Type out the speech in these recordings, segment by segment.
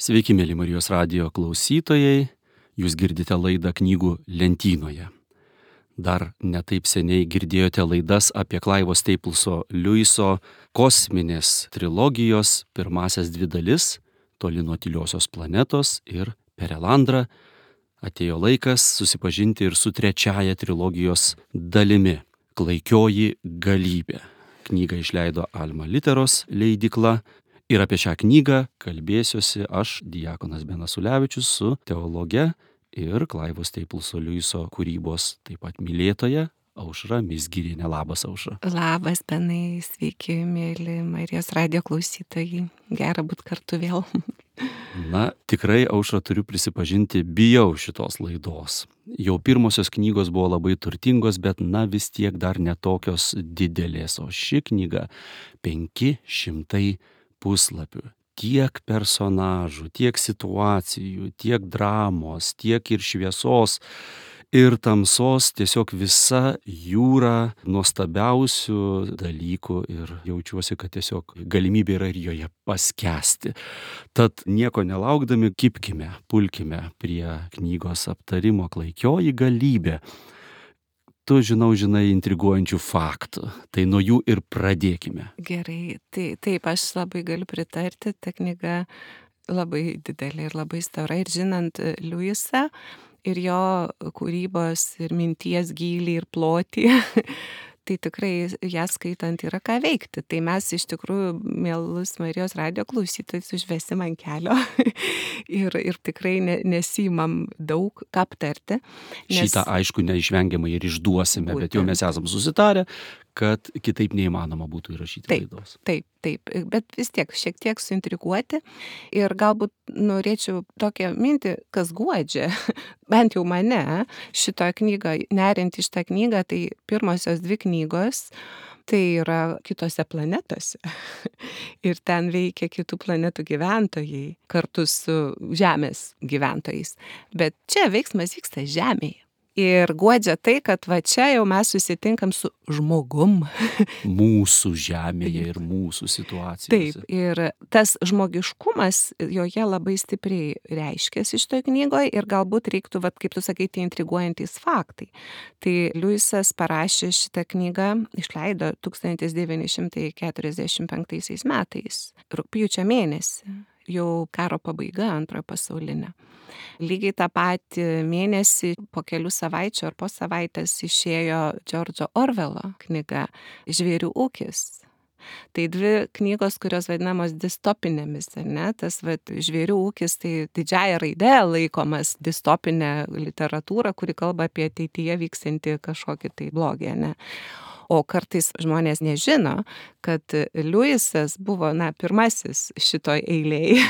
Sveiki, mėly Marijos radijo klausytojai, jūs girdite laidą knygų lentynoje. Dar netaip seniai girdėjote laidas apie Clivo Staplso Lewiso kosminės trilogijos pirmasias dvi dalis - Toli nuo tyliosios planetos ir Perelandra. Atėjo laikas susipažinti ir su trečiaja trilogijos dalimi - Klaikioji galybė. Knygą išleido Alma Literos leidykla. Ir apie šią knygą kalbėsiuosi aš, diakonas Benas Ulevičius, su teologe ir Clivo Staplso Lewiso kūrybos taip pat mylėtoja Aušra Mizgirienė. Labas, Aušra. Labas, Benai, sveiki, mėly Marijos radijo klausytojai. Gera būt kartu vėl. Na, tikrai, Aušra, turiu prisipažinti, bijau šitos laidos. Jau pirmosios knygos buvo labai turtingos, bet vis tiek dar netokios didelės. O ši knyga 500 puslapių. Tiek personažų, tiek situacijų, tiek dramos, tiek ir šviesos, ir tamsos, tiesiog visa jūra nuostabiausių dalykų ir jaučiuosi, kad tiesiog galimybė yra ir joje paskęsti. Tad nieko nelaukdami, kibkime, pulkime prie knygos aptarimo Klaikioji galybė. Tu žinai intriguojančių faktų, tai nuo jų ir pradėkime. Gerai, taip, aš labai galiu pritarti, ta knyga labai didelė ir labai stora. Ir žinant Lewisą ir jo kūrybos ir minties gylį ir plotį, tai tikrai ją skaitant yra ką veikti. Tai mes iš tikrųjų, mielus Marijos radijo klausytojus, užvesim ant kelio ir tikrai nesimam daug ką aptarti. Šitą aišku neišvengiamai ir išduosime, bet jau mes esam susitarę, kad kitaip neįmanoma būtų įrašyti laidos. Taip, bet vis tiek šiek tiek suintriguoti ir galbūt norėčiau tokią mintį, kas guodžia, bent jau mane, šitą knygą, neriant į šitą knygą, tai pirmosios dvi knygos, tai yra kitose planetose ir ten veikia kitų planetų gyventojai kartu su Žemės gyventojais, bet čia veiksmas vyksta Žemėje. Ir guodžia tai, kad va čia jau mes susitinkam su žmogum. Mūsų žemėje ir mūsų situacijose. Taip, ir tas žmogiškumas joje labai stipriai reiškiasi šitoje knygoje ir galbūt reiktų, va, kaip tu sakai, tie intriguojantys faktai. Tai Lewisas parašė šitą knygą, išleido 1945 metais, rugpjūčio mėnesį. Jau karo pabaiga, antrojo pasaulinė. Lygiai tą patį mėnesį, po kelių savaičių ar po savaitės išėjo George'o Orwello knyga Žvėrių ūkis. Tai dvi knygos, kurios vadinamos distopinėmis, ne? Tas Žvėrių ūkis tai didžiąja raide laikomas distopinė literatūra, kuri kalba apie ateityje vyksiantį kažkokį tai blogį, ne? O kartais žmonės nežino, kad Lewisas buvo, pirmasis šitoj eilėj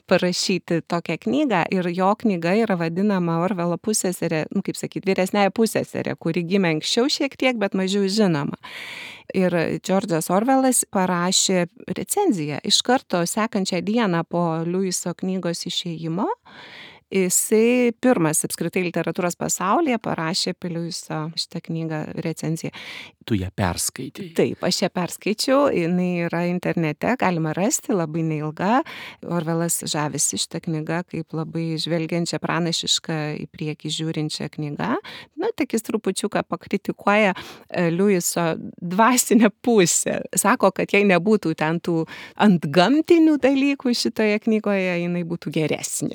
parašyti tokią knygą ir jo knyga yra vadinama Orwello pusseserė, kaip sakyt, vyresnėja pusseserė, kuri gimė anksčiau šiek tiek, bet mažiau žinoma. Ir George'as Orwellas parašė recenziją iš karto sekančią dieną po Lewiso knygos išėjimo. Jisai pirmas apskritai literatūros pasaulyje parašė apie Lewiso šitą knygą recenziją. Tu ją perskaitai? Taip, aš ją perskaičiau, jinai yra internete, galima rasti, labai neilga. Orwellas žavisi šitą knygą kaip labai žvelgiančią pranašišką į priekį žiūrinčią knygą. Tik jis trupučiuką pakritikuoja Lewiso dvasinę pusę. Sako, kad jei nebūtų ten tų antgamtinių dalykų šitoje knygoje, jinai būtų geresnė.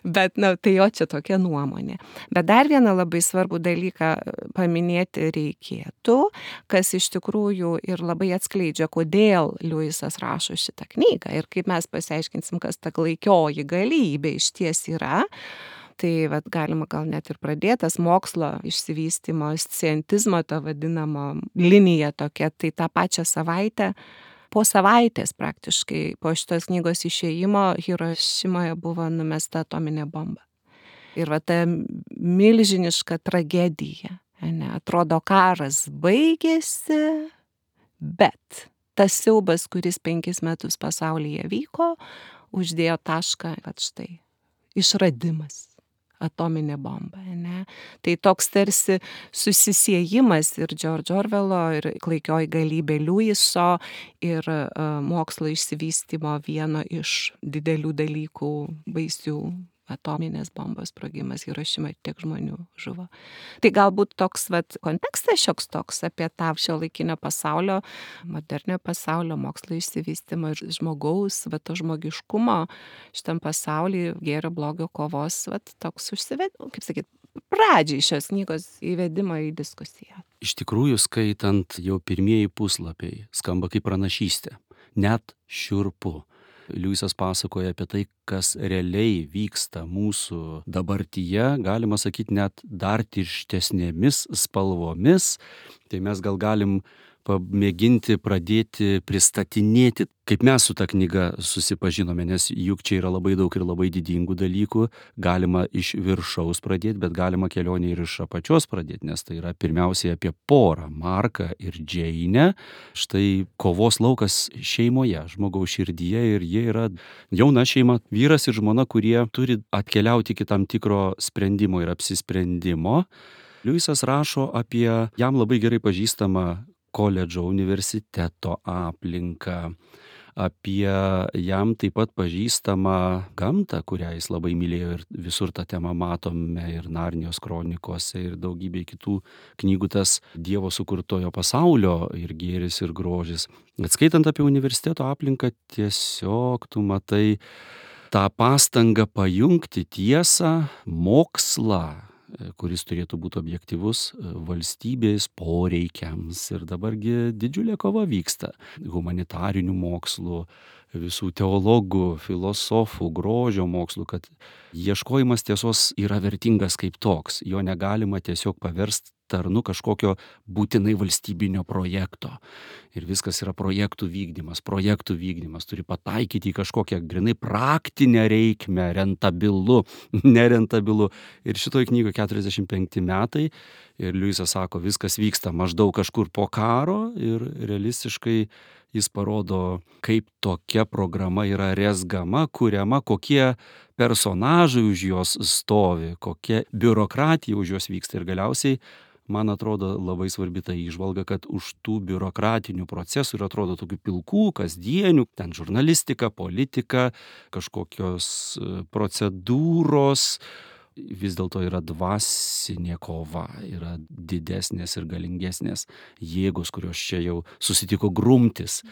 Bet, tai jo čia tokia nuomonė. Bet dar vieną labai svarbų dalyką paminėti reikėtų, kas iš tikrųjų ir labai atskleidžia, kodėl Lewisas rašo šitą knygą ir kaip mes pasiaiškinsim, kas ta klaikioji galybė išties yra. Tai galima gal net ir pradėtas mokslo išsivystymo, scientizmo, ta vadinama linija tokia, tai tą pačią savaitę, po savaitės praktiškai, po šitos knygos išėjimo Hirošimoje buvo numesta atominė bomba. Ir ta milžiniška tragedija, atrodo karas baigėsi, bet tas siaubas, kuris 5 metus pasaulyje vyko, uždėjo tašką, štai, išradimas. atominė bomba, ne? Tai toks tarsi susisiejimas ir George Orwello, ir Klaikioji galybė Lewiso, ir mokslo išsivystymo vieno iš didelių dalykų, baisių atominės bombos sprogimas Hirošimoj, tiek žmonių žuvo. Tai galbūt toks kontekstas šioks toks apie tą šiuolaikinio pasaulio, modernio pasaulio, mokslo išsivystymą ir žmogaus, to žmogiškumo šitam pasaulyje, gėrio blogio kovos, toks kaip sakyt, pradžiai šios knygos įvedimo į diskusiją. Iš tikrųjų, skaitant jau pirmieji puslapiai, skamba kaip pranašystė, net šiurpu. Liujisas pasakoja apie tai, kas realiai vyksta mūsų dabartyje, galima sakyti, net dar tirštesnėmis spalvomis. Tai mes gal galim pamėginti pradėti pristatinėti, kaip mes su ta knyga susipažinome, nes juk čia yra labai daug ir labai didingų dalykų. Galima iš viršaus pradėti, bet galima kelionę ir iš apačios pradėti, nes tai yra pirmiausiai apie porą, Marką ir Džeinę. Štai kovos laukas šeimoje, žmogaus širdyje, ir jie yra jauna šeima, vyras ir žmona, kurie turi atkeliauti iki tam tikro sprendimo ir apsisprendimo. Liujisas rašo apie jam labai gerai pažįstamą koledžo, universiteto aplinką, apie jam taip pat pažįstamą gamtą, kurią jis labai mylėjo, ir visur tą temą matome ir Narnijos kronikose, ir daugybė kitų knygų, tas Dievo sukurtojo pasaulio ir gėris ir grožis. Atskaitant apie universiteto aplinką, tiesiog tu matai tą pastangą pajungti tiesą, mokslą, kuris turėtų būti objektyvus valstybės poreikiams. Ir dabargi didžiulė kova vyksta humanitarinių mokslų, visų teologų, filosofų, grožio mokslų, kad ieškojimas tiesos yra vertingas kaip toks. Jo negalima tiesiog paversti tarnu kažkokio būtinai valstybinio projekto. Ir viskas yra projektų vykdymas, turi pataikyti į kažkokią grinai praktinę reikmę, rentabilu, nerentabilu. Ir šitoj knygoje 45 metai, ir Liujisas sako, viskas vyksta maždaug kažkur po karo, ir realistiškai jis parodo, kaip tokia programa yra rezgama, kuriama, kokie personažai už jos stovi, kokia biurokratija už jos vyksta. Ir galiausiai, man atrodo, labai svarbi ta įžvalga, kad už tų biurokratinių procesų ir atrodo tokių pilkų, kasdienių, ten žurnalistika, politika, kažkokios procedūros, vis dėlto yra dvasinė kova, yra didesnės ir galingesnės jėgos, kurios čia jau susitiko grumtis.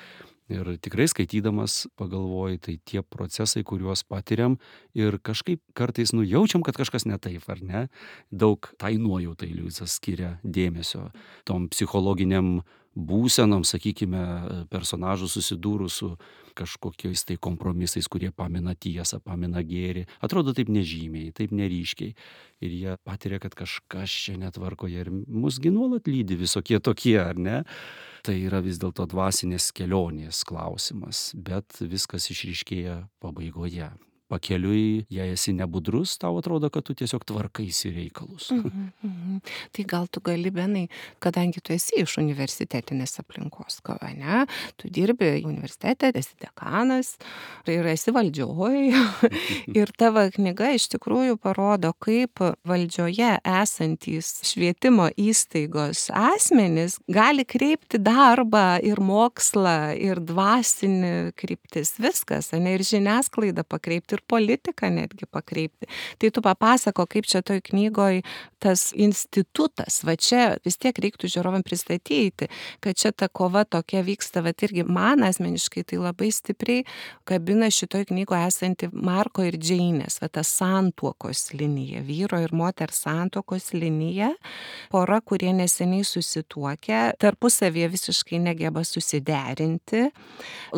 Ir tikrai skaitydamas pagalvoji, tai tie procesai, kuriuos patiriam, ir kažkaip kartais nujaučiam, kad kažkas ne taip, ar ne? Daug tai nuojautai Liujisas skiria dėmesio tom psichologiniam būsenom, sakykime, personažų susidūrus su kažkokiais tai kompromisais, kurie pamina tiesą, pamina gėrį. Atrodo taip nežymiai, taip neryškiai. Ir jie patiria, kad kažkas čia netvarkoje, ir musgi nuolat lydi visokie tokie, ar ne? Tai yra vis dėlto dvasinės kelionės klausimas, bet viskas išryškėja pabaigoje. Pakeliui, jei esi nebudrus, tau atrodo, kad tu tiesiog tvarkaisi reikalus. Tai gal tu gali, Benai, kadangi tu esi iš universitetinės aplinkos, ne? Tu dirbi universitete, esi dekanas ir esi valdžioje. Ir tavo knyga iš tikrųjų parodo, kaip valdžioje esantys švietimo įstaigos asmenys gali kreipti darbą ir mokslą, ir dvasinį kryptis, viskas, ne, ir žiniasklaidą pakreipti, ir politiką netgi pakreipti. Tai tu papasako, kaip čia toj knygoj tas institutas, čia vis tiek reiktų žiūrovam pristatyti, kad čia ta kova tokia vyksta, irgi man asmeniškai tai labai stipriai kabina šitoj knygoje esanti Marko ir Džeinės, ta santuokos linija, vyro ir moters santuokos linija, pora, kurie neseniai susituokę, tarpusavėje visiškai negeba susiderinti,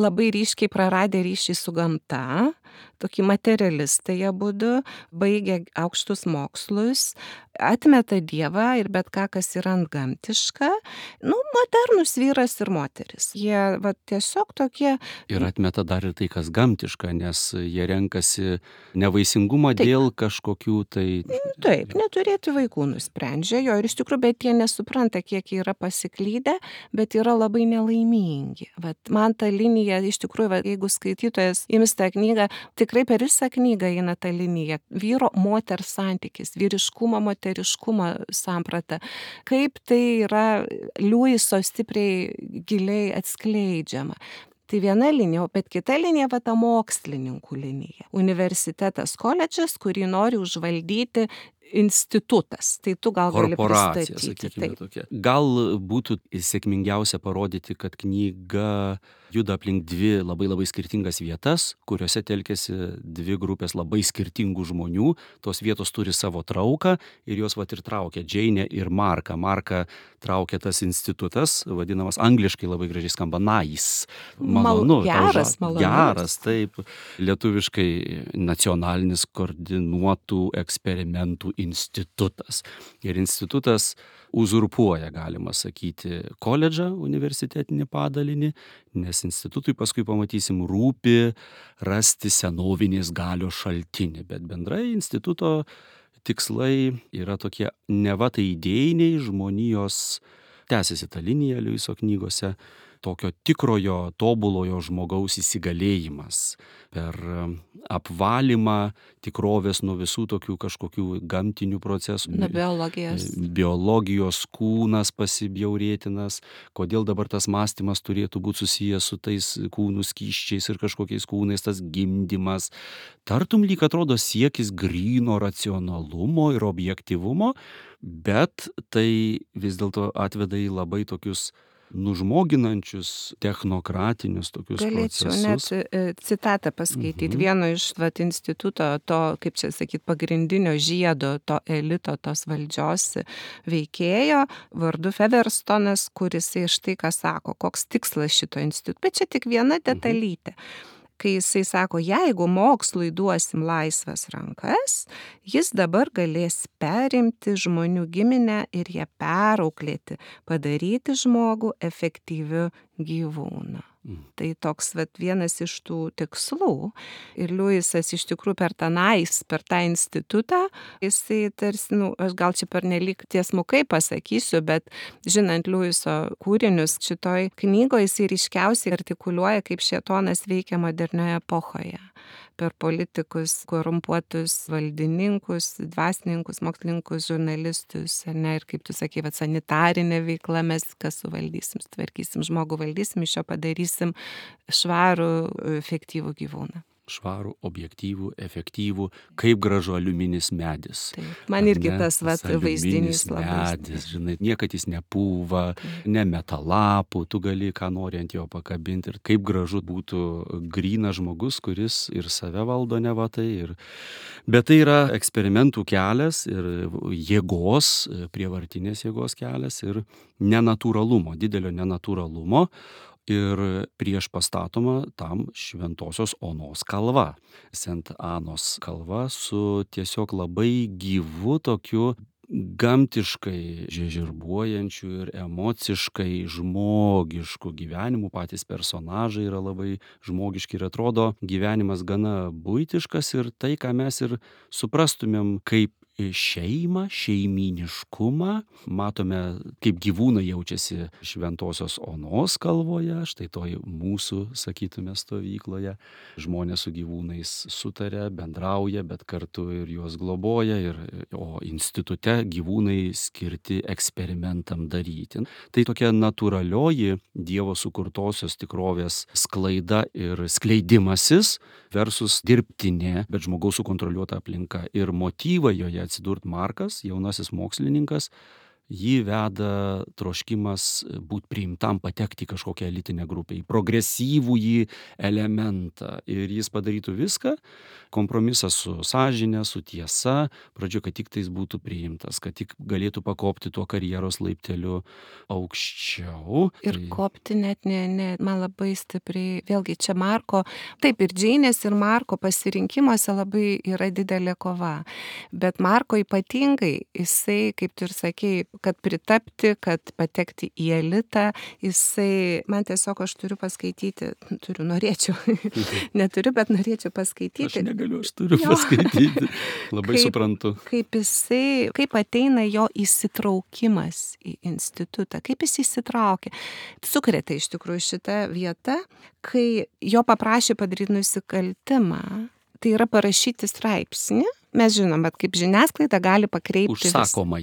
labai ryškiai praradę ryšį su gamta, tokį materialistai abudu, baigė aukštus mokslus, atmeta Dievą ir bet ką, kas yra antgamtiška, modernus vyras ir moteris. Jie tiesiog tokie. Ir atmeta dar ir tai, kas gamtiška, nes jie renkasi nevaisingumą Taip. dėl kažkokių tai... Taip, neturėti vaikų nusprendžia jo ir iš tikrųjų, bet jie nesupranta, kiek jie yra pasiklydę, bet yra labai nelaimingi. Man ta linija, iš tikrųjų, jeigu skaitytojas ims tą knygą, tikrai per visą knygą eina ta linija. Vyro moters santykis, vyriškumo, moteriškumo samprata. Kaip tai yra Liuiso stipriai giliai atskleidžiama. Tai viena linija, bet kita linija ta mokslininkų linija. Universitetas, koledžas, kurį nori užvaldyti institutas. Tai tu gal gali Korporacija, pristatyti. sakykime tokia. Gal būtų sėkmingiausia parodyti, kad knyga juda aplink dvi labai labai skirtingas vietas, kuriuose telkėsi dvi grupės labai skirtingų žmonių. Tos vietos turi savo trauką ir jos ir traukia Džeinę ir Marką. Marką traukia tas institutas, vadinamas angliškai labai gražiai skamba nice. Malonu. Geras, malonus. Geras, taip. Lietuviškai nacionalinis koordinuotų eksperimentų institutas. Ir institutas uzurpuoja, galima sakyti, koledžą, universitetinį padalinį, nes institutui paskui pamatysim rūpi rasti senovinės galios šaltinį, bet bendrai instituto tikslai yra tokie neva tai idėjiniai žmonijos, tęsiasi ta linija Liuiso knygose, tokio tikrojo, tobulojo žmogaus įsigalėjimas per apvalymą tikrovės nuo visų tokių kažkokių gamtinių procesų. Biologijos kūnas pasibjaurėtinas, kodėl dabar tas mąstymas turėtų būti susijęs su tais kūnų skysčiais ir kažkokiais kūnais, tas gimdymas. Tartum lyg atrodo siekis gryno racionalumo ir objektyvumo, bet tai vis dėlto atveda į labai tokius nužmoginančius, technokratinius tokius procesus. Galėčiau net citatą paskaityti. Vieno iš instituto, to, kaip čia sakyti, pagrindinio žiedo, to elito, tos valdžios veikėjo, vardu Featherstone'as, kuris štai ką sako, koks tikslas šito instituto. Bet čia tik viena detalytė. Kai jisai sako, jeigu mokslui duosim laisvas rankas, jis dabar galės perimti žmonių giminę ir ją perauklėti, padaryti žmogų efektyviu gyvūnu. Tai toks vienas iš tų tikslų. Ir Liuisas iš tikrųjų per tą institutą, jisai tarsi, aš gal čia pernelyg tiesmukai pasakysiu, bet žinant Liuiso kūrinius šitoj knygoje, jisai ryškiausiai artikuliuoja, kaip šėtonas veikia modernioje epochoje. Per politikus, korumpuotus valdininkus, dvasininkus, mokslininkus, žurnalistus, ir kaip tu sakei, sanitarinė veikla, mes kas suvaldysim, tvarkysim žmogų, valdysim, iš jo padarysim švarų, efektyvų gyvūną. Švarų, objektyvų, efektyvų, kaip gražu aliuminis medis. Taip, man irgi tas vaizdinys labai. Medis, žinai, niekad jis nepūva, nemeta lapų, tu gali ką nori ant jo pakabinti. Ir kaip gražu būtų grynas žmogus, kuris ir save valdo neva tai. Bet tai yra eksperimentų kelias ir jėgos, prievartinės jėgos kelias ir nenatūralumo, didelio nenatūralumo. Ir prieš pastatoma tam Šventosios Onos kalva. Sent Anos kalva su tiesiog labai gyvu tokiu gamtiškai žiežirbuojančiu ir emociškai žmogišku gyvenimu. Patys personažai yra labai žmogiški ir atrodo gyvenimas gana buitiškas ir tai, ką mes ir suprastumėm kaip šeimą, šeimyniškumą. Matome, kaip gyvūnai jaučiasi Šventosios Onos kalvoje, štai toj mūsų, sakytume, stovykloje. Žmonės su gyvūnais sutaria, bendrauja, bet kartu ir juos globoja, o institute gyvūnai skirti eksperimentam daryti. Tai tokia natūralioji Dievo sukurtosios tikrovės sklaida ir skleidimasis versus dirbtinė, bet žmogaus sukontroliuota aplinka. Ir motyvą joje atsidurt Markas, jaunasis mokslininkas, Jį veda troškimas būti priimtam, patekti į kažkokią elitinę grupę, į progresyvųjį elementą. Ir jis padarytų viską, kompromisą su sąžine, su tiesa, pradžio, kad tik tais būtų priimtas, kad tik galėtų pakopti tuo karjeros laipteliu aukščiau. Ir kopti net man labai stipriai, vėlgi čia Marko, taip ir Džeinės ir Marko pasirinkimuose labai yra didelė kova, bet Marko ypatingai, jisai, kaip tu ir sakei, kad pritapti, kad patekti į elitą, jisai, man tiesiog aš turiu paskaityti, norėčiau, neturiu, bet norėčiau paskaityti. Aš negaliu, aš turiu paskaityti, labai suprantu. Kaip ateina jo įsitraukimas į institutą, kaip jis įsitraukė. Sukrėtė iš tikrųjų šitą vietą, kai jo paprašė padaryti nusikaltimą, tai yra parašyti straipsnį. Mes žinom, bet kaip žiniasklaida gali pakreipti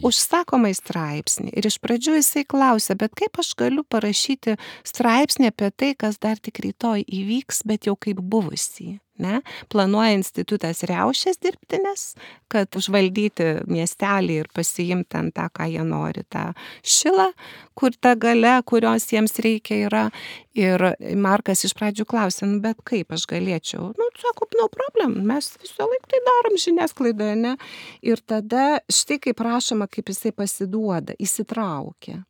užsakomai straipsnį. Ir iš pradžių jisai klausė, bet kaip aš galiu parašyti straipsnį apie tai, kas dar tik rytoj įvyks, bet jau kaip buvusį. Ne? Planuoja institutas riaušės dirbtinės, kad užvaldyti miestelį ir pasiimti ant tą, ką jie nori, tą šilą, kur ta galia, kurios jiems reikia yra. Ir Markas iš pradžių klausė, bet kaip aš galėčiau? Sako, no problem, mes visą laiką tai darom žiniasklaidoje, ne? Ir tada štai kaip rašoma, kaip jisai pasiduoda, įsitraukia.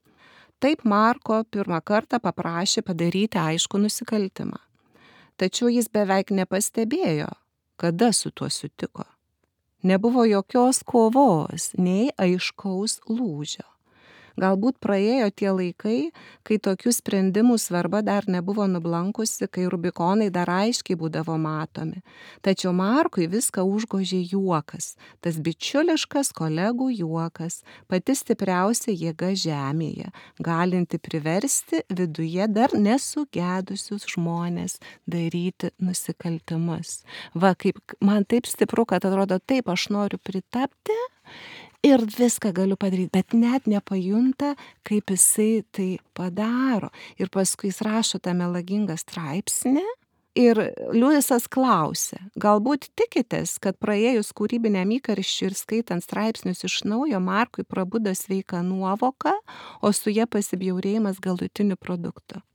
Taip Marko pirmą kartą paprašė padaryti aiškų nusikaltimą. Tačiau jis beveik nepastebėjo, kada su tuo sutiko. Nebuvo jokios kovos, nei aiškaus lūžio. Galbūt praėjo tie laikai, kai tokių sprendimų svarba dar nebuvo nublankusi, kai rubikonai dar aiškiai būdavo matomi. Tačiau Markui viską užgožė juokas, tas bičiuliškas kolegų juokas, pati stipriausia jėga žemėje, galinti priversti viduje dar nesugedusius žmones daryti nusikaltimus. Va, kaip man taip stipru, kad atrodo, taip aš noriu pritapti, ir viską galiu padaryti, bet net nepajunta, kaip jisai tai padaro. Ir paskui jis rašo tą melagingą straipsnį ir Liujisas klausė, galbūt tikitės, kad praėjus kūrybiniam įkarščiui ir skaitant straipsnius iš naujo, Markui prabudo sveika nuovoka, o su ja pasibjaurėjimas galutiniu produktu.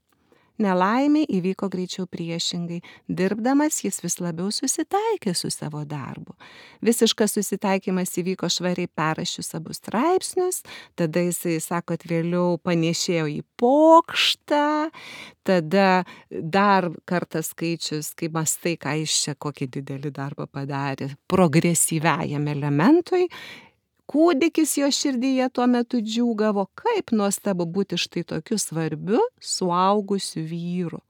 Nelaimė įvyko greičiau priešingai. Dirbdamas jis vis labiau susitaikė su savo darbu. Visiškas susitaikymas įvyko švariai perrašius abu straipsnius, tada jisai, sako, kad vėliau panėšėjo į pokštą, tada dar kartą skaičius, kai mastai, ką jis čia kokį didelį darbą padarė, progresyviajam elementui, kūdikis jo širdyje tuo metu džiūgavo, kaip nuostabu būti štai tokiu svarbiu, suaugusiu vyru.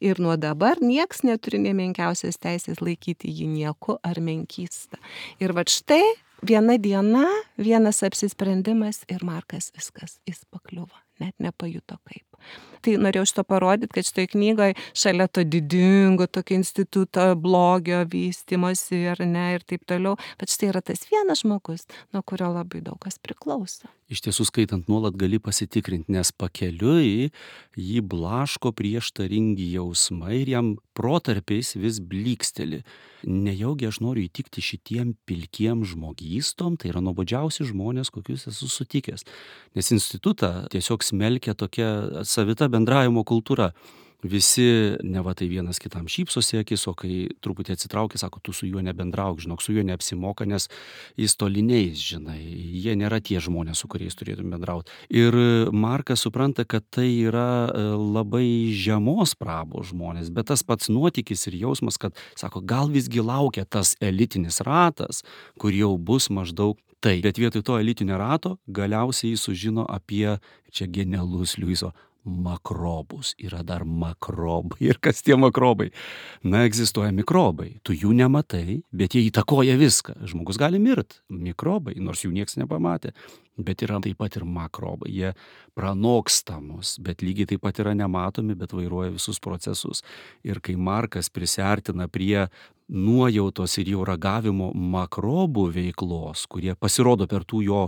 Ir nuo dabar nieks neturi nė menkiausios teisės laikyti jį nieku ar menkysta. Ir va štai viena diena, vienas apsisprendimas ir Markas viskas, jis pakliuvo, net nepajuto kaip. Tai norėjau šito parodyti, kad šitoje knygoje šalia to didingo tokio instituto blogio vystymosi ir taip toliau, bet štai yra tas vienas žmogus, nuo kurio labai daug kas priklauso. Iš tiesų, skaitant nuolat gali pasitikrinti, nes pakeliui jį blaško prieštaringi jausmai ir jam protarpiais vis blyksteli. Nejaugi aš noriu įtikti šitiem pilkiem žmogystom, tai yra nuobodžiausi žmonės, kokius esu sutikęs. Nes institutą tiesiog smelkia tokia savita bendravimo kultūra. Visi neva tai vienas kitam šypsosi akis, o kai truputį atsitraukia, sako, tu su juo nebendrauk, žinok, su juo neapsimoka, nes jis toliniais, žinai, jie nėra tie žmonės, su kuriais turėtum bendrauti. Ir Markas supranta, kad tai yra labai žemos prabos žmonės, bet tas pats nuotykis ir jausmas, kad, sako, gal visgi laukia tas elitinis ratas, kur jau bus maždaug tai. Bet vietoj to elitinio rato galiausiai jis sužino apie, čia genialus Liujiso, makrobus. Yra dar makrobai. Ir kas tie makrobai? Na, egzistuoja mikrobai. Tu jų nematai, bet jie įtakoja viską. Žmogus gali mirt. Mikrobai, nors jų nieks nepamatė. Bet yra taip pat ir makrobai. Jie pranoksta mus, bet lygiai taip pat yra nematomi, bet vairuoja visus procesus. Ir kai Markas prisiartina prie nuojautos ir jau ragavimo makrobų veiklos, kurie pasirodo per tų jo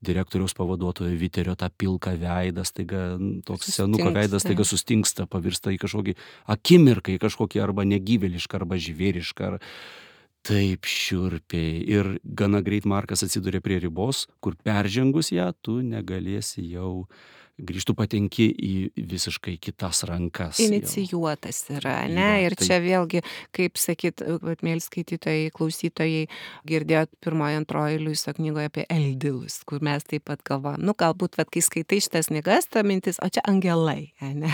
direktoriaus pavaduotojo Viterio tą pilką veidą, staiga toks senuko veidas staiga sustingsta, pavirsta į kažkokį akimirką, į kažkokį arba negyvėlišką, arba žvėrišką. taip šiurpiai ir gana greit Markas atsiduria prie ribos, kur peržengus ją tu negalėsi jau grįžti, tu patenki į visiškai kitas rankas jau. Inicijuotas yra, ne? Yra, Ir tai čia vėlgi, kaip sakyt, vat, mėly skaitytojai, klausytojai, girdėjot pirmoje, antroje Liuiso knygoje apie eldilus, kur mes taip pat galvojam, nu galbūt, vat, kai skaitai šitas knygas, ta mintis, o čia angelai, ne?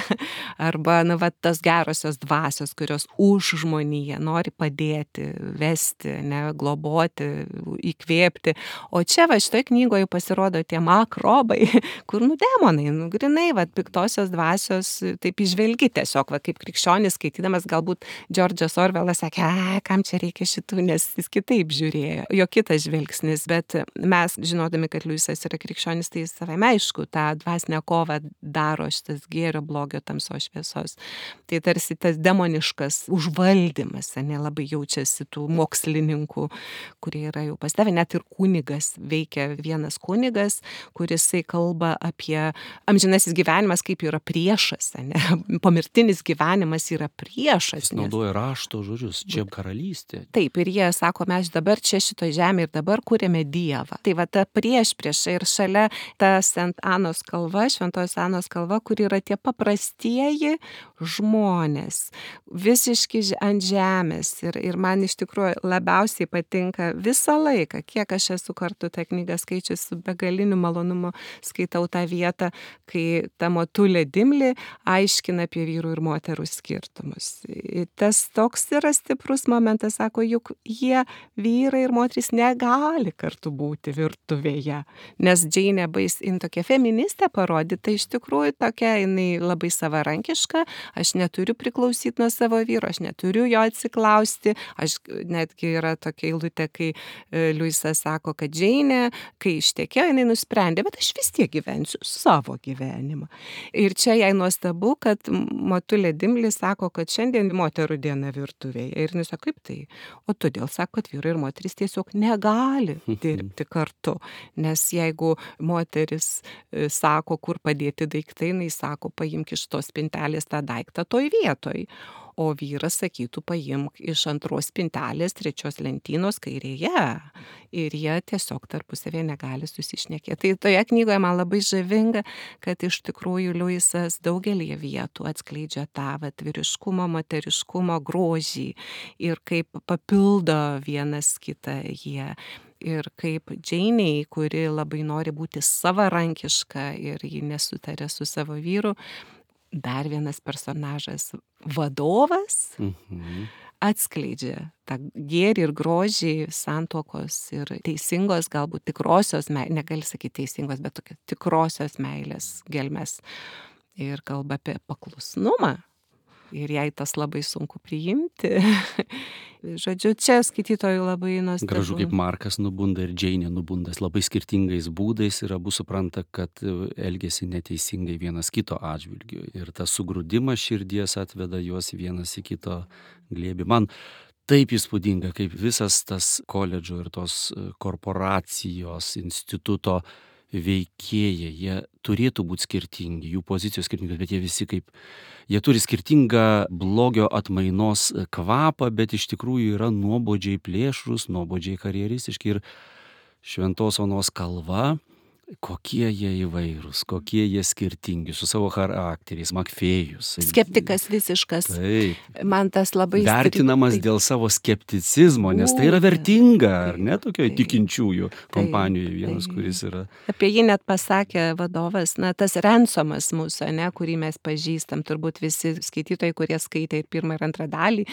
Arba, nu, vat, tos gerosios dvasios, kurios už žmoniją nori padėti, vesti, ne, globoti, įkvėpti. O čia, va, šitoje knygoje pasirodo tie makrobai, kur, nu, demonai, nu, grinai, va, piktosios dvasios, taip įžvelgi tiesiog, va, kaip krikščionis skaitydamas, galbūt Džordžas Orvelas sakė, kam čia reikia šitų, nes jis kitaip žiūrėjo, jo kitas žvilgsnis, bet mes, žinodami, kad Liuisas yra krikščionis, tai savame aišku, tą dvasinę kovą daro šitas gėrio, blogio, tamsos, šviesos. Tai tarsi tas demoniškas užvaldymas, nelabai jaučiasi tų mokslininkų, kurie yra jau pasidavę, net ir kunigas, veikia vienas kunigas, kuris kalba apie amžinasis gyvenimas kaip yra priešas, ne? Pomirtinis gyvenimas yra priešas. Jis naudoja rašto žodžius, čia karalystė. Taip, ir jie sako, mes dabar čia šitoje žemėje ir dabar kūrėme Dievą. Tai va ta priešprieša ir šalia ta St. Anos kalva, Šventos Anos kalva, kur yra tie paprastieji žmonės, visiški ant žemės. Ir man iš tikrųjų labiausiai patinka visą laiką, kiek aš esu kartu tą knygą skaičius, su begaliniu malonumu skaitau tą vietą, kai ta motulė Dimli aiškina apie vyrų ir moterų skirtumus. Ir tas toks yra stiprus momentas, sako, juk jie, vyrai ir moterys, negali kartu būti virtuvėje. Nes Džeinė tokia feministė parodyta, iš tikrųjų tokia, jinai labai savarankiška, aš neturiu priklausyti nuo savo vyro, aš neturiu jo atsiklausti, aš netgi yra tokia eilutė, kai Liuisas sako, kad Džeinė, kai ištekėjo, jinai nusprendė, bet aš vis tiek gyvensiu savo gyvenimą. Ir čia jai nuostabu, kad motulė Dimli sako, kad šiandien moterų diena virtuvėje. Ir jis sako, kaip tai? O todėl sako, kad vyrai ir moteris tiesiog negali dirbti kartu. Nes jeigu moteris sako, kur padėti daiktai, jinai sako, paimk iš tos spintelės tą daiktą toj vietoj. O vyras sakytų, paimk iš antros spintelės, trečios lentynos kairėje. Ir jie tiesiog tarpusavėje negali susišnekėti. Tai toje knygoje man labai žavinga, kad iš tikrųjų Liuisas daugelį vietų atskleidžia tą vyriškumo, moteriškumo grožį ir kaip papildo vienas kitą jie. Ir kaip Džeinei, kuri labai nori būti savarankiška ir ji nesutarė su savo vyru, dar vienas personažas, vadovas, atskleidžia tą gėrį ir grožį santuokos ir teisingos, galbūt tikrosios, negali sakyti teisingos, bet tokia tikrosios meilės gelmes. Ir kalba apie paklusnumą. Ir jai tas labai sunku priimti. Žodžiu, čia skaitytojų labai nuostabu. Gražu, kaip Markas nubunda ir Džeinė nubunda labai skirtingais būdais ir abu supranta, kad elgėsi neteisingai vienas kito atžvilgiu. Ir tas sugrūdimas širdies atveda juos vienas į kito glėbį. Man taip įspūdinga, kaip visas tas koledžo ir tos korporacijos, instituto veikėjai, jie turėtų būti skirtingi, jų pozicijos skirtingos, bet jie visi kaip, jie turi skirtingą blogio atmainos kvapą, bet iš tikrųjų yra nuobodžiai plėšrus, nuobodžiai karjeristiški ir Šventos Onos kalva, kokie jie įvairūs, kokie jie skirtingi, su savo charakteriais, Makfėjus. Skeptikas visiškas. Taip. Man tas labai vertinamas dėl savo skepticizmo, nes tai yra vertinga, ar ne, tokioje tikinčiųjų kompanijoje vienas, kuris yra. Apie jį net pasakė vadovas, na, tas Rensomas mūsų, ne, kurį mes pažįstam, turbūt visi skaitytojai, kurie skaitė ir pirmą ir antrą dalį,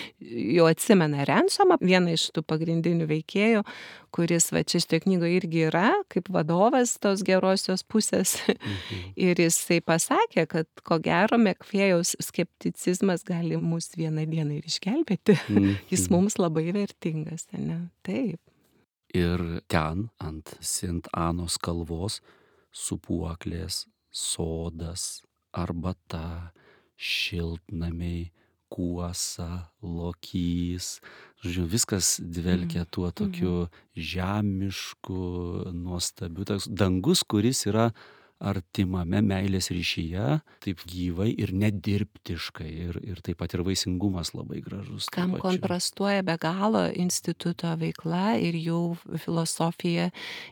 jau atsimena Rensomą, vieną iš tų pagrindinių veikėjų, kuris va čia šitoje knygoje irgi yra, kaip vadovas tos gerosios pusės. Ir jisai pasakė, kad ko gero Makfėjaus skepticizmas gali mus vieną dieną ir išgelbėti. Jis mums labai vertingas, ne? Taip. Ir ten ant St. Anos kalvos sūpuoklės, sodas, arbata, šiltnamiai, kuosa, lokys. Žodžiu, viskas dvelkia tuo tokiu žemišku, nuostabiu. Dangus, kuris yra artimame meilės ryšyje, taip gyvai ir nedirbtiškai. Ir taip pat ir vaisingumas labai gražus. Kam kontrastuoja be galo instituto veikla ir jų filosofija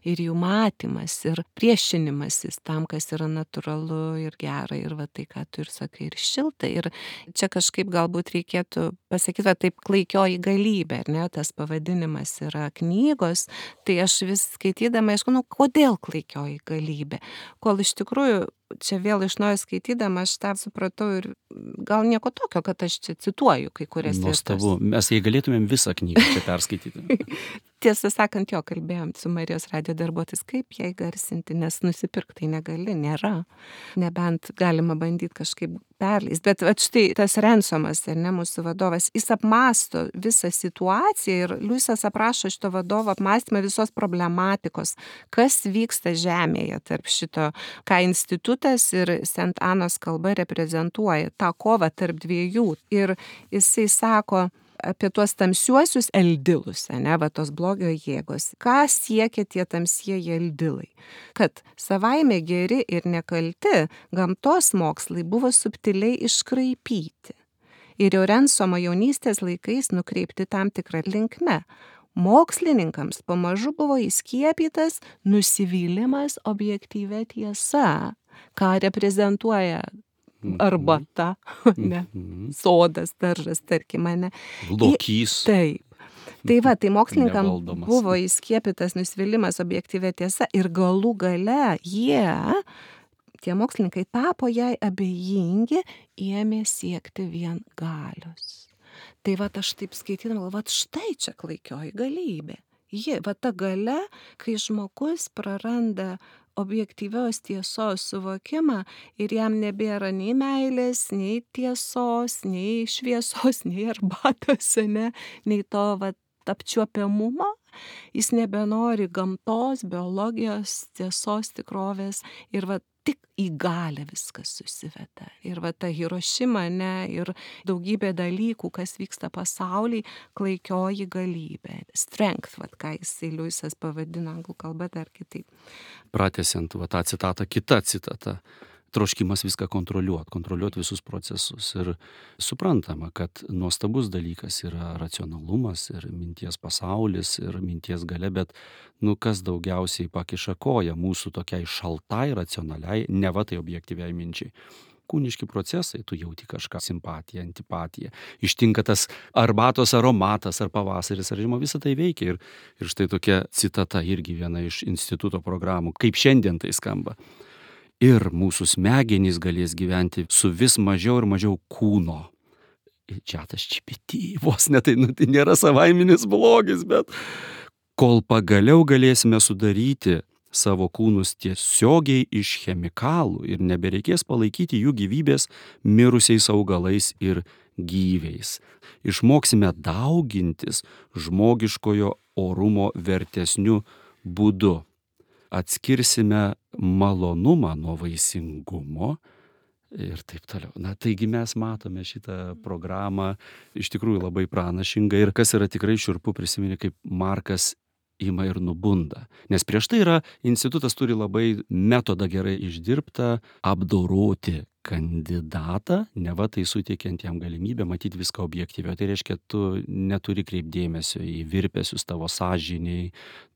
ir jų matymas ir priešinimasis tam, kas yra natūralu ir gera ir va tai, ką tu ir sakai, ir šilta. Ir čia kažkaip galbūt reikėtų pasakyti, va taip klaikioji galybė, ar ne, tas pavadinimas yra knygos, tai aš vis skaitydama, aišku, kodėl klaikioji galybė? Kol iš tikrųjų čia vėl iš naujo skaitydama aš tą supratau ir gal nieko tokio, kad aš čia cituoju kai kurias vietas. Nuostabu, mes jei galėtumėm visą knygą čia perskaityti. Tiesą sakant, kalbėjom su Marijos radijo darbuotojais, kaip jai garsinti, nes nusipirkti negali, nėra. Nebent galima bandyti kažkaip perleis. Bet štai tas Rensomas, ar ne, mūsų vadovas, jis apmąsto visą situaciją ir Liujisas aprašo šito vadovo apmąstymą visos problematikos, kas vyksta žemėje tarp šito, ką institutas ir Sent Anos kalba reprezentuoja, tą kovą tarp dviejų. Ir jisai sako apie tuos tamsiuosius eldilus, ne, va tos blogio jėgos. Ką siekia tie tamsieji eldilai? Kad savaime geri ir nekalti gamtos mokslai buvo subtiliai iškraipyti. Ir jau Rensomo jaunystės laikais nukreipti tam tikrą linkme. Mokslininkams pamažu buvo įskiepytas nusivylimas objektyvia tiesa, ką reprezentuoja arbata, ne, sodas, daržas, tarkim, ne. Lokys. Taip. Tai va, tai mokslininkam buvo įskiepytas nusivylimas objektyvia tiesa ir galų gale tie mokslininkai tapo jai abejingi, ėmė siekti vien galios. Tai va, aš taip skaitydama, va, štai čia klaikioji galybė. Va ta galia, kai žmogus praranda objektyvios tiesos suvokimą ir jam nebėra nei meilės, nei tiesos, nei šviesos, nei arbatos, ne, nei to apčiuopiamumo, jis nebenori gamtos, biologijos, tiesos, tikrovės ir tik į galią viskas susiveda. Ir ta Hirošima, ne, ir daugybė dalykų, kas vyksta pasaulyje, klaikioji galybė. Strength, ką jisai Liujisas pavadino anglų kalba dar kitaip. Pratęsiant tą citatą, kita citata. Troškimas viską kontroliuoti visus procesus. Ir suprantama, kad nuostabus dalykas yra racionalumas ir minties pasaulis ir minties galia, bet kas daugiausiai pakiša koją mūsų tokiai šaltai, racionaliai, neva tai objektyviai minčiai. Kūniški procesai, tu jauti kažką, simpatiją, antipatiją. Ištinka tas arbatos aromatas, ar pavasaris, ar žiema, visą tai veikia. Ir štai tokia citata irgi viena iš instituto programų, kaip šiandien tai skamba. Ir mūsų smegenys galės gyventi su vis mažiau ir mažiau kūno. Čia tas GPT, vos ne tai nėra savaiminis blogis, bet kol pagaliau galėsime sudaryti savo kūnus tiesiogiai iš chemikalų ir nebereikės palaikyti jų gyvybės mirusiais augalais ir gyviais. Išmoksime daugintis žmogiškojo orumo vertesniu būdu. Atskirsime malonumą nuo vaisingumo ir taip toliau. Taigi mes matome šitą programą iš tikrųjų labai pranašingą ir kas yra tikrai šiurpu prisiminti, kaip Markas ima ir nubunda. Nes prieš tai institutas turi labai metodą gerai išdirbtą apdoroti kandidatą, neva tai suteikiant jam galimybę matyti viską objektyviai. Tai reiškia, tu neturi kreipdėmesio į virpesius tavo sąžiniai,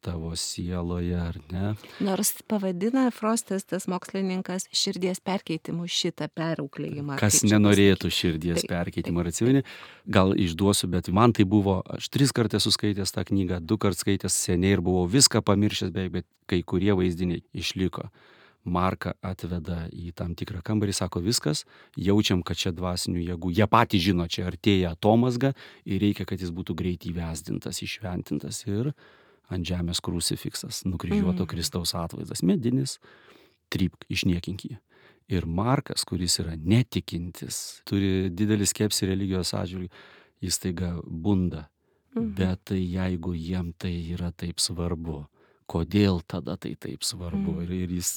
tavo sieloje, ar ne? Nors pavadina Frostas, tas mokslininkas, širdies perkeitimu šitą perauklėjimą. Kas nenorėtų širdies perkeitimo, ar atsimeni? Gal išduosiu, bet man tai buvo, aš 3 kartus esu skaitęs tą knygą, 2 kartus skaitęs seniai ir buvau viską pamiršęs, bet kai kurie vaizdiniai išliko. Marką atveda į tam tikrą kambarį, sako viskas, jaučiam, kad čia dvasinių jėgų. Jie patys žino, čia artėja atomazga ir reikia, kad jis būtų greit įvesdintas, išventintas ir ant žemės krucifiksas, nukryžiuoto Kristaus atvaizdas, medinis, trypk, išniekink jį. Ir Markas, kuris yra netikintis, turi didelį skepsį religijos atžvilgiu, jis taiga bunda. Bet jeigu jiem tai yra taip svarbu, kodėl tada tai taip svarbu. Ir jis,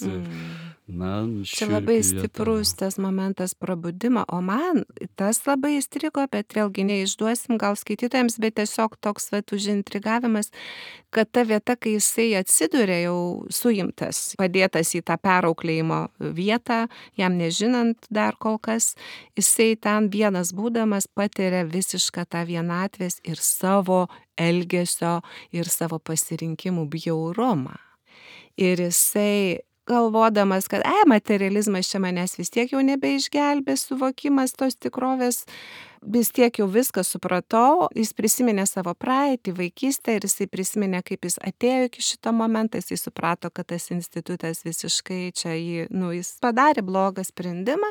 na, Čia labai šiurpi vieta. stiprus tas momentas prabudimo, o man tas labai įstrigo, bet vėlgi neišduosim gal skaitytojams, bet tiesiog toks užintrigavimas, kad ta vieta, kai jisai atsiduria jau suimtas, padėtas į tą perauklėjimo vietą, jam nežinant dar kol kas, jisai ten vienas būdamas patiria visišką tą vienatvės ir savo elgesio ir savo pasirinkimų bjaurumą. Ir jisai galvodamas, kad materializmas čia manęs vis tiek jau nebeišgelbės, suvokimas tos tikrovės, vis tiek jau viską supratau, jis prisiminė savo praeitį, vaikystę ir jisai prisiminė, kaip jis atėjo iki šito momento, jisai suprato, kad tas institutas visiškai čia jis padarė blogą sprendimą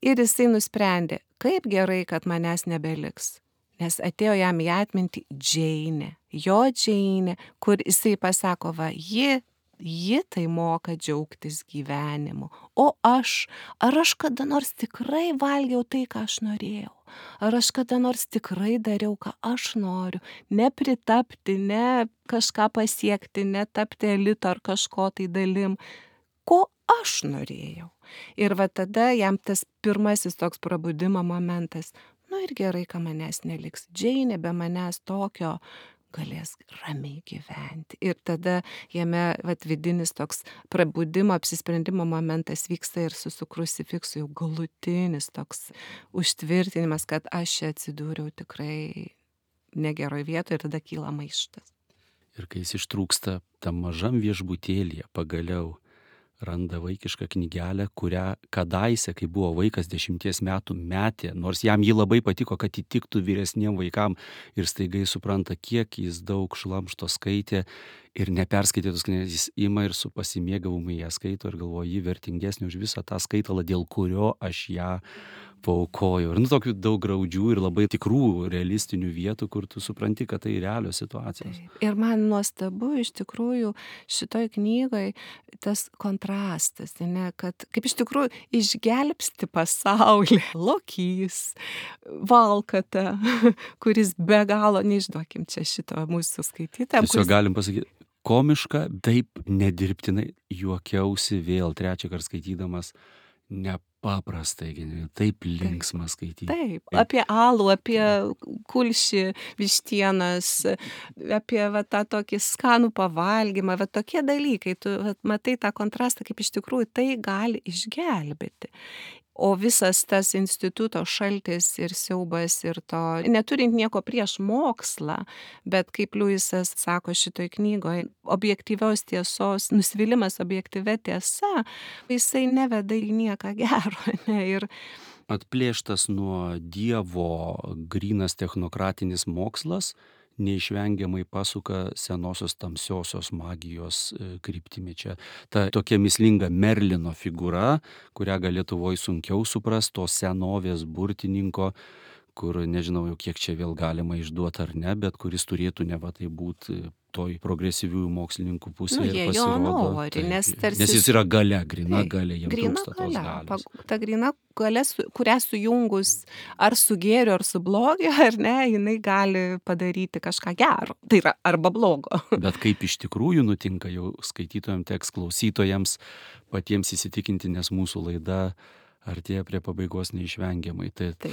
ir jisai nusprendė, kaip gerai, kad manęs nebeliks. Nes atėjo jam į atmintį Džeinė, jo Džeinė, kur jisai pasako, va, ji tai moka džiaugtis gyvenimu. O ar aš kada nors tikrai valgiau tai, ką aš norėjau? Ar aš kada nors tikrai dariau, ką aš noriu? Ne pritapti, ne kažką pasiekti, ne tapti elito ar kažko tai dalim. Ko aš norėjau? Ir va tada jam tas pirmasis toks prabudimo momentas. Ir gerai, kad manęs neliks. Džeinė be manęs tokio galės ramiai gyventi. Ir tada jame vidinis toks prabudimo, apsisprendimo momentas vyksta ir su krucifiksu jau galutinis toks užtvirtinimas, kad aš čia atsidūriau tikrai negeroj vietoje ir tada kyla maištas. Ir kai jis ištrūksta tam mažam viešbutėlyje, pagaliau randa vaikišką knygelę, kurią kadaise, kai buvo vaikas 10 metų, metė, nors jam ji labai patiko, kad įtiktų vyresniem vaikam ir staiga jis supranta, kiek jis daug šlamšto skaitė ir neperskaitėtus knygas, jis ima ir su pasimėgavimu ją skaito ir galvoja, ji vertingesnė už visą tą skaitalą, dėl kurio aš ją paaukojau. Ir tokių daug graudžių ir labai tikrų realistinių vietų, kur tu supranti, kad tai realios situacijos. Ir man nuostabu iš tikrųjų šitoj knygoj tas kontrastas, ne, kad kaip iš tikrųjų išgelbsti pasaulį Lokys, Valkata, kuris be galo, neišduokim čia šito mūsų skaitytam. Tiesiog galim pasakyti, komiška, taip nedirbtinai juokiausi vėl trečią kartą skaitydamas, nepaprastai, taip linksma skaityti. Taip, apie alų, apie kulšį, vištienas, apie tą tokį skanų pavalgymą, tokie dalykai, tu matai tą kontrastą, kaip iš tikrųjų tai gali išgelbėti. O visas tas instituto šaltis ir siaubas ir to, neturint nieko prieš mokslą, bet kaip Liujisas sako šitoj knygoje, objektyvios tiesos, nusivylimas objektyvia tiesa, jisai neveda į nieką gero. Ne? Ir atplėštas nuo Dievo grynas technokratinis mokslas neišvengiamai pasuka senosios tamsiosios magijos kryptimi. Čia ta tokia mįslinga Merlino figūra, kurią gal Lietuvoj sunkiau suprast, to senovės burtininko, kur nežinau jau kiek čia vėl galima išduoti ar ne, bet kuris turėtų neva tai būti toj progresyviųjų mokslininkų pusėje ir pasirodo. Nori, nes jis yra galia, grina galia, jam trūksta tos galios. Ta grina galia, kurią sujungus ar su gėriu, ar su blogiu, ar ne, jinai gali padaryti kažką gero. Tai yra arba blogo. Bet kaip iš tikrųjų nutinka, jau skaitytojams teks klausytojams patiems įsitikinti, nes mūsų laida artėja prie pabaigos neišvengiamai. Taip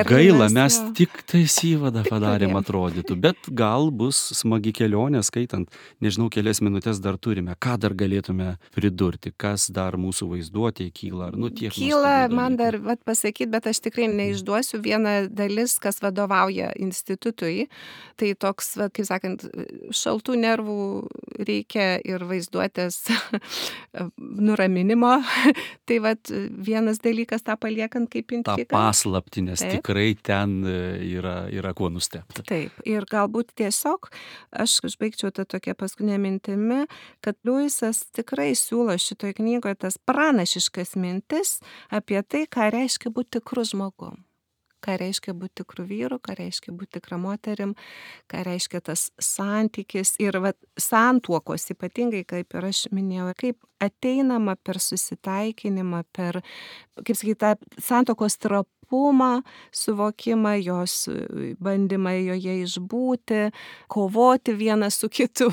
gaila, mes tik tais įvadą padarėm atrodytų, bet gal bus smagi kelionė skaitant, nežinau, kelias minutės dar turime, ką dar galėtume pridurti, kas dar mūsų vaizduotėje kyla, ar tiek. Kyla, man dar pasakyti, bet aš tikrai neišduosiu vieną dalis, kas vadovauja institutui, tai toks, kaip sakant, šaltų nervų reikia ir vaizduotės nuraminimo, tai vienas dalykas tą paliekant kaip intrigą. Ta paslaptį, nes tikrai ten yra kuo nustebti. Taip, ir galbūt tiesiog aš užbaigčiau tą tokią paskutinę mintimi, kad Liujisas tikrai siūlo šitoj knygoje tas pranašiškas mintis apie tai, ką reiškia būti tikru žmogum. Ką reiškia būti tikrų vyrų, ką reiškia būti tikrą moterim, ką reiškia tas santykis ir santuokos ypatingai, kaip ir aš minėjau, kaip ateinama per susitaikinimą, per, kaip sakyti, tą santuokos trapumą buvimą, suvokimą, jos bandymą joje išbūti, kovoti vienas su kitu,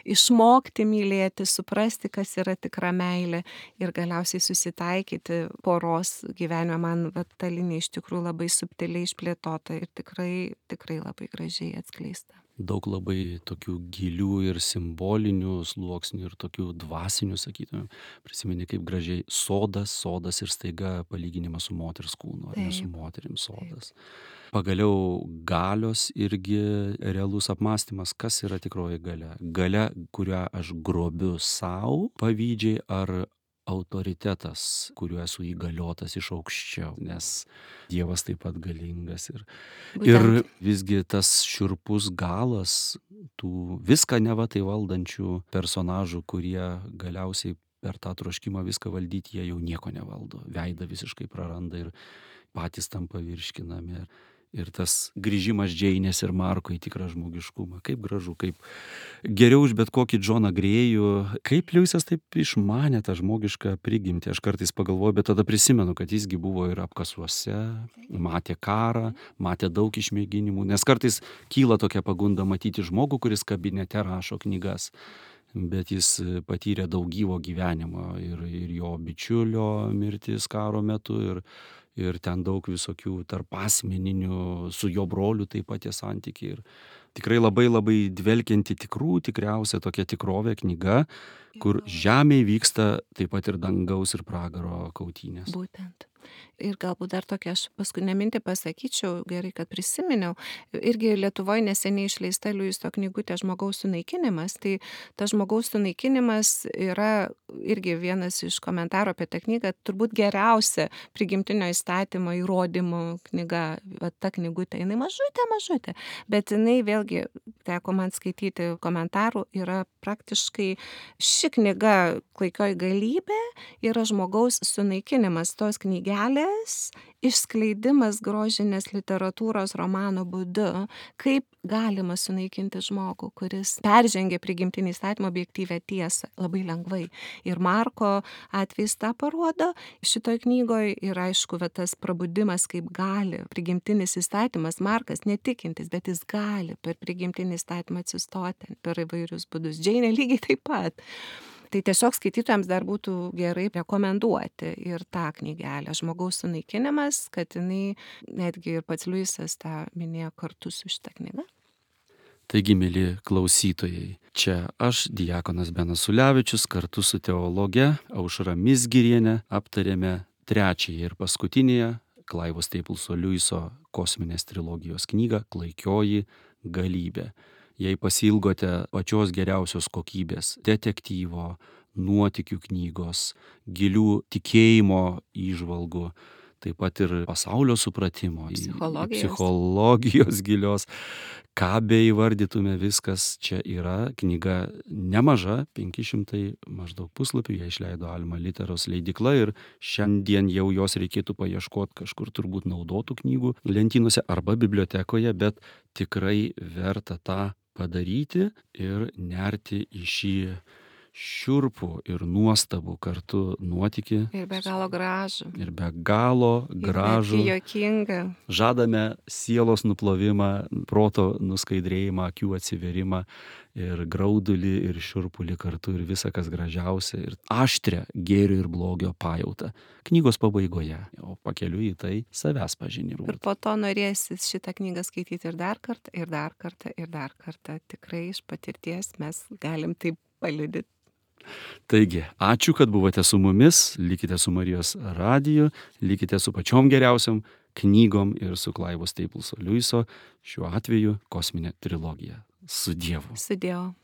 išmokti mylėti, suprasti, kas yra tikra meilė ir galiausiai susitaikyti poros gyvenime. Man ta linija iš tikrųjų labai subtiliai išplėtota ir tikrai labai gražiai atskleista. Daug labai tokių gilių ir simbolinių sluoksnių ir tokių dvasinių, sakytume. Prisimeni, kaip gražiai sodas ir staiga palyginimas su moters kūnu, ar ne su moterim sodas. Pagaliau galios irgi realus apmąstymas, kas yra tikroji galia. Galia, kurią aš grobiu savo pavydžiai, ar autoritetas, kuriuo esu įgaliotas iš aukščiau, nes Dievas taip pat galingas. Ir visgi tas šiurpus galas tų viską neva tai valdančių personažų, kurie galiausiai per tą troškimą viską valdyti, jie jau nieko nevaldo. Veidą visiškai praranda ir patys tampa virškinami. Ir tas grįžimas Džeinės ir Marko į tikrą žmogiškumą. Kaip gražu, kaip geriau už bet kokį Džoną Grėjų. Kaip Liujisas taip išmanė tą žmogišką prigimtį. Aš kartais pagalvoju, bet tada prisimenu, kad jisgi buvo ir apkasuose, matė karą, matė daug išmėginimų. Nes kartais kyla tokia pagunda matyti žmogų, kuris kabinete rašo knygas. Bet jis patyrė daug gyvo gyvenimo ir jo bičiulio mirtis karo metu ir ten daug visokių tarpasmeninių, su jo broliu taip pat tie santykiai. Ir tikrai labai labai dvelkianti tikriausia tokia tikrovė knyga, kur žemėje vyksta taip pat ir dangaus ir pragaro kautynės. Būtent. Ir galbūt dar tokia aš paskutinę mintį pasakyčiau, gerai, kad prisiminiau. Irgi Lietuvoje neseniai išleista Liujiso knygutė Žmogaus sunaikinimas. Tai tas žmogaus sunaikinimas yra irgi vienas iš komentarų apie tą knygą, turbūt geriausia prigimtinio įstatymo įrodymų knyga. Va, ta knygutė, jinai mažutė, bet jinai vėlgi, teko man skaityti komentarų, yra praktiškai ši knyga Klaikioji galybė yra žmogaus sunaikinimas, tos knygelės išskleidimas grožinės literatūros romano būdu, kaip galima sunaikinti žmogų, kuris peržengia prigimtinį įstatymą objektyvią tiesą labai lengvai. Ir Marko atvejs tą parodo šitoj knygoje ir aišku, tas prabudimas, kaip gali prigimtinis įstatymas, Markas netikintis, bet jis gali per prigimtinį įstatymą atsistoti per įvairius būdus. Džeinė lygiai taip pat. Tai tiesiog skaitytojams dar būtų gerai rekomenduoti ir tą knygelę Žmogaus sunaikinimas, kad jinai, netgi ir pats Liujisas tą minėjo kartu su šitą knygą. Taigi, mėly klausytojai, čia aš, diakonas Benas Ulevičius, kartu su teologe Aušra Mizgirienė aptarėme trečiąją ir paskutinėje Clivo Stapleso Liujiso kosminės trilogijos knygą Klaikioji galybė. Jei pasilgote pačios geriausios kokybės detektyvo, nuotykių knygos, gilių tikėjimo įžvalgų, taip pat ir pasaulio supratimo, psichologijos gilios, ką beįvardytume, viskas čia yra. Knyga nemaža, 500 maždaug puslapių, ją išleido Alma Literos leidykla ir šiandien jau jos reikėtų paieškoti kažkur turbūt naudotų knygų lentynose arba bibliotekoje, bet tikrai verta tą padaryti ir nerti į šį šiurpų ir nuostabų kartu nuotykį. Ir be galo gražų. Ir be galo gražų. Ir juokingą. Žadame sielos nuplovimą, proto nuskaidrėjimą, akių atsiverimą ir graudulį ir šiurpulį kartu ir visa, kas gražiausia ir aštrią gėrio ir blogio pajautą. Knygos pabaigoje, o pakeliui į tai savęs pažinimą. Ir po to norėsis šitą knygą skaityti ir dar kartą, ir dar kartą, ir dar kartą. Tikrai iš patirties mes galim taip paliudyti. Taigi, ačiū, kad buvote su mumis, likite su Marijos radiju, likite su pačiom geriausiam knygom ir su Clivo Stapleso Liujiso, šiuo atveju kosminė trilogija. Su Dievu. Su Dievu.